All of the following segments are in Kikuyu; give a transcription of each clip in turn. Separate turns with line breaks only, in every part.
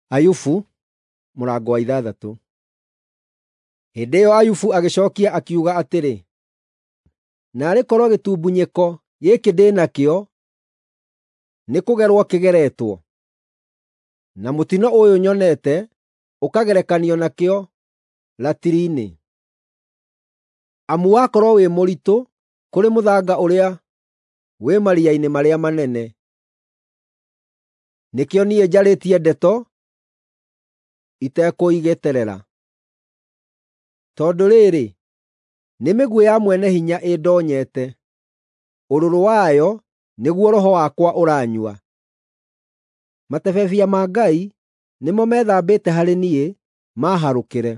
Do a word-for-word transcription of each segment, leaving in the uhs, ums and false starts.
Ayubu mũrango wa ithathatũ. Hĩndĩ ĩyo Ayubu agĩcookia akiuga atĩrĩ, “Naarĩ korwo gĩtumbunyĩko gĩkĩ ndĩ nakĩo nĩkũgerwo kĩgeretwo, na mũtino ũyũ nyonete ũkagerekanio nakĩo ratiri-inĩ! Amu wakorwo wĩ mũritũ kũrĩ mũthanga ũrĩa wĩ maria-inĩ marĩa manene. Nĩkĩo niĩ njarĩtie ndeto itekũigĩterera. Tondũ rĩrĩ, nĩ mĩguĩ ya Mwene-Hinya ĩndoonyete, ũrũrũ wayo nĩguo roho wakwa ũranyua. Matebebia ma Ngai nĩmo methambĩte harĩ niĩ maaharũkĩre.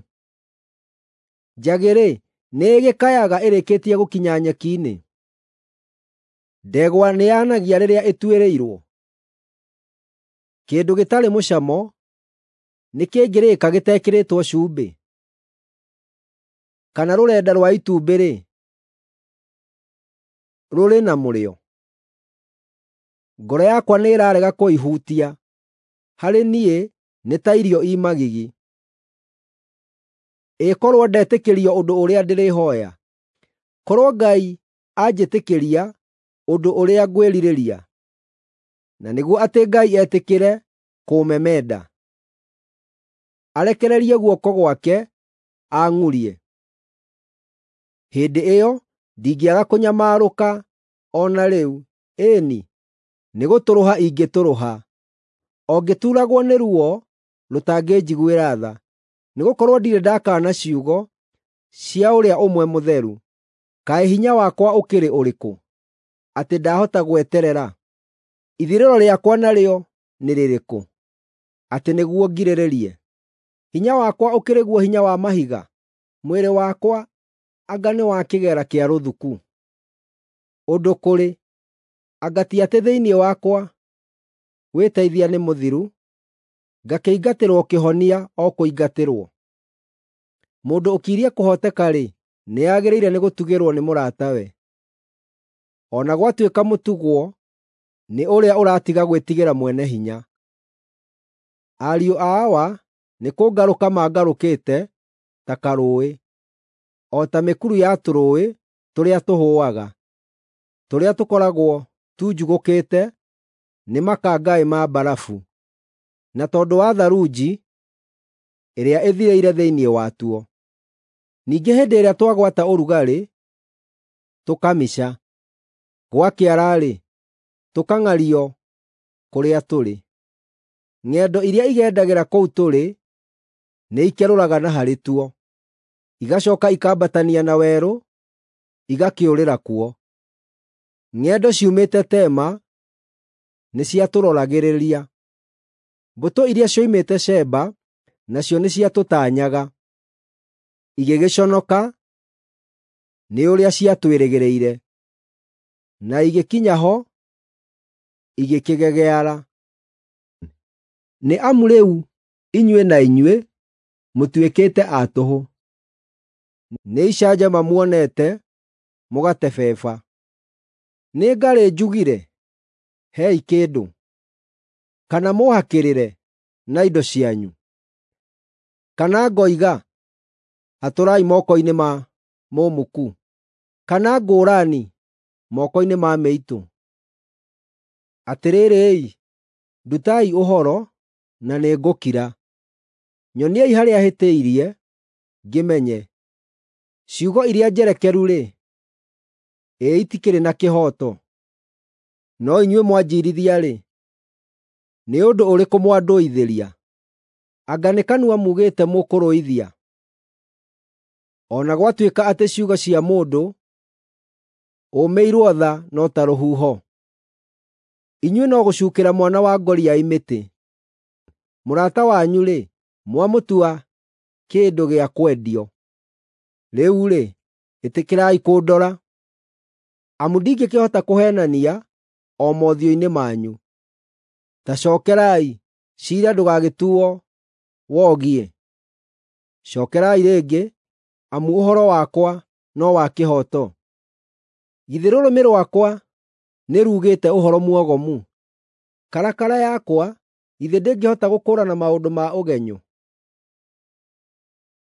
Njagĩ-rĩ, nĩĩgĩkayaga ĩrĩkĩtie gũkinya nyeki-inĩ? Ndegwa nĩyanagia rĩrĩa ĩtuĩrĩirwo? Kĩndũ gĩtarĩ mũcamo nĩkĩngĩrĩĩka gĩtekĩrĩtwo cumbĩ? Kana rũrenda rwa itumbĩ-rĩ, rũrĩ na mũrĩo? Ngoro yakwa nĩĩrarega kũihutia; harĩ niĩ nĩ ta irio i magigi. Ĩ korwo ndetĩkĩrio ũndũ ũrĩa ndĩrĩhooya, korwo Ngai anjĩtĩkĩria ũndũ ũrĩa ngwĩrirĩria, na nĩguo atĩ Ngai etĩkĩre kũũmemenda, arekererie guoko gwake aang'urie! Hĩndĩ ĩyo ndingĩaga kũnyamarũka o na rĩu, ĩĩ-ni, nĩgũtũrũha ingĩtũrũha, o ngĩtuuragwo nĩ ruo rũtangĩnjiguĩra tha, nĩgũkorwo ndirĩ ndakaana ciugo cia Ũrĩa Ũmwe Mũtheru. Kaĩ hinya wakwa ũkĩrĩ ũrĩkũ, atĩ ndahota gweterera? Ithirĩro rĩakwa narĩo nĩ rĩrĩkũ, atĩ nĩguo ngirĩrĩrie? Hinya wakwa ũkĩrĩ guo hinya wa mahiga? Mwĩrĩ wakwa anga nĩ wa kĩgera kĩa rũthuku? Ũndũ kũrĩ, anga ti atĩ thĩinĩ wakwa wĩteithia nĩ mũthiru, ngakĩingatĩrwo kĩhonia o kũingatĩrwo? Mũndũ ũkirie kũhooteka-rĩ, nĩagĩrĩire nĩgũtugĩrwo nĩ mũratawe, o na gwatuĩka mũtugwo nĩ ũrĩa ũratiga gwĩtigĩra Mwene-Hinya. Ariũ a Awa nĩkũngarũka mangarũkĩte ta karũũĩ, o ta mĩkuru ya tũrũũĩ tũrĩa tũhũaga, tũrĩa tũkoragwo tunjugũkĩte nĩ makangaĩ ma mbarabu, na tondũ wa tharunji ĩrĩa ĩthirĩire thĩinĩ watuo. Ningĩ hĩndĩ ĩrĩa twagwata ũrugarĩ, tũkamica; gwakĩara-rĩ, tũkang'ario kũrĩa tũrĩ. Ng'endo iria igendagĩra kũu tũrĩ nĩikerũraga na harĩ tuo, igacooka ikambatania na werũ, igakĩũrĩra kuo. Ng'endo ciumĩte Tema nĩciatũroragĩrĩria; mbũtũ iria cioimĩte Sheba nacio nĩciatũtaanyaga, igĩgĩconoka nĩ ũrĩa ciatwĩrĩgĩrĩire, na igĩkinya ho igĩkĩgegeara. Nĩ amu rĩu inyuĩ na inyuĩ mũtuĩkĩte a tũhũ, nĩ icanjama muonete mũgatebeba. Nĩ ngarĩ njugire, ‘Hei kĩndũ,’ kana mũũhakĩrĩre na indo cianyu? Kana ngoiga, ‘Hatũrai moko-inĩ ma mũmuku,’ kana ngũũrani moko-inĩ ma mĩitũ? Atĩrĩrĩ-i, ndutai ũhoro, na nĩngũkira; nyoniai harĩa hĩtĩirie, ngĩmenye. Ciugo iria njerekeru-rĩ, ĩ itikĩrĩ na kĩhooto! No inyuĩ mwanjiirithia-rĩ, nĩ ũndũ ũrĩkũ mwandũithĩria? Anga nĩ kanua muugĩte mũkũrũithia? O na gwatuĩka atĩ ciugo cia mũndũ ũũmĩirwo tha no ta rũhuho, inyuĩ no gũcuukĩra mwana wa ngoriai mĩtĩ. Mũrata wanyu-rĩ, mwamũtua kĩndũ gĩa kwendio. Rĩu-rĩ, ĩtĩkĩrai kũndora, amu ndingĩkĩhota kũheenania o mothiũ-inĩ manyu. Ta cookerai, ciira ndũgagĩtuo wogiĩ; cookerai rĩngĩ, amu ũhoro wakwa no wa kĩhooto. Githĩ rũrĩmĩ rwakwa nĩruugĩte ũhoro muogomu? Karakara yakwa Githĩ ndĩngĩhota gũkũũrana maũndũ ma ũgenyũ?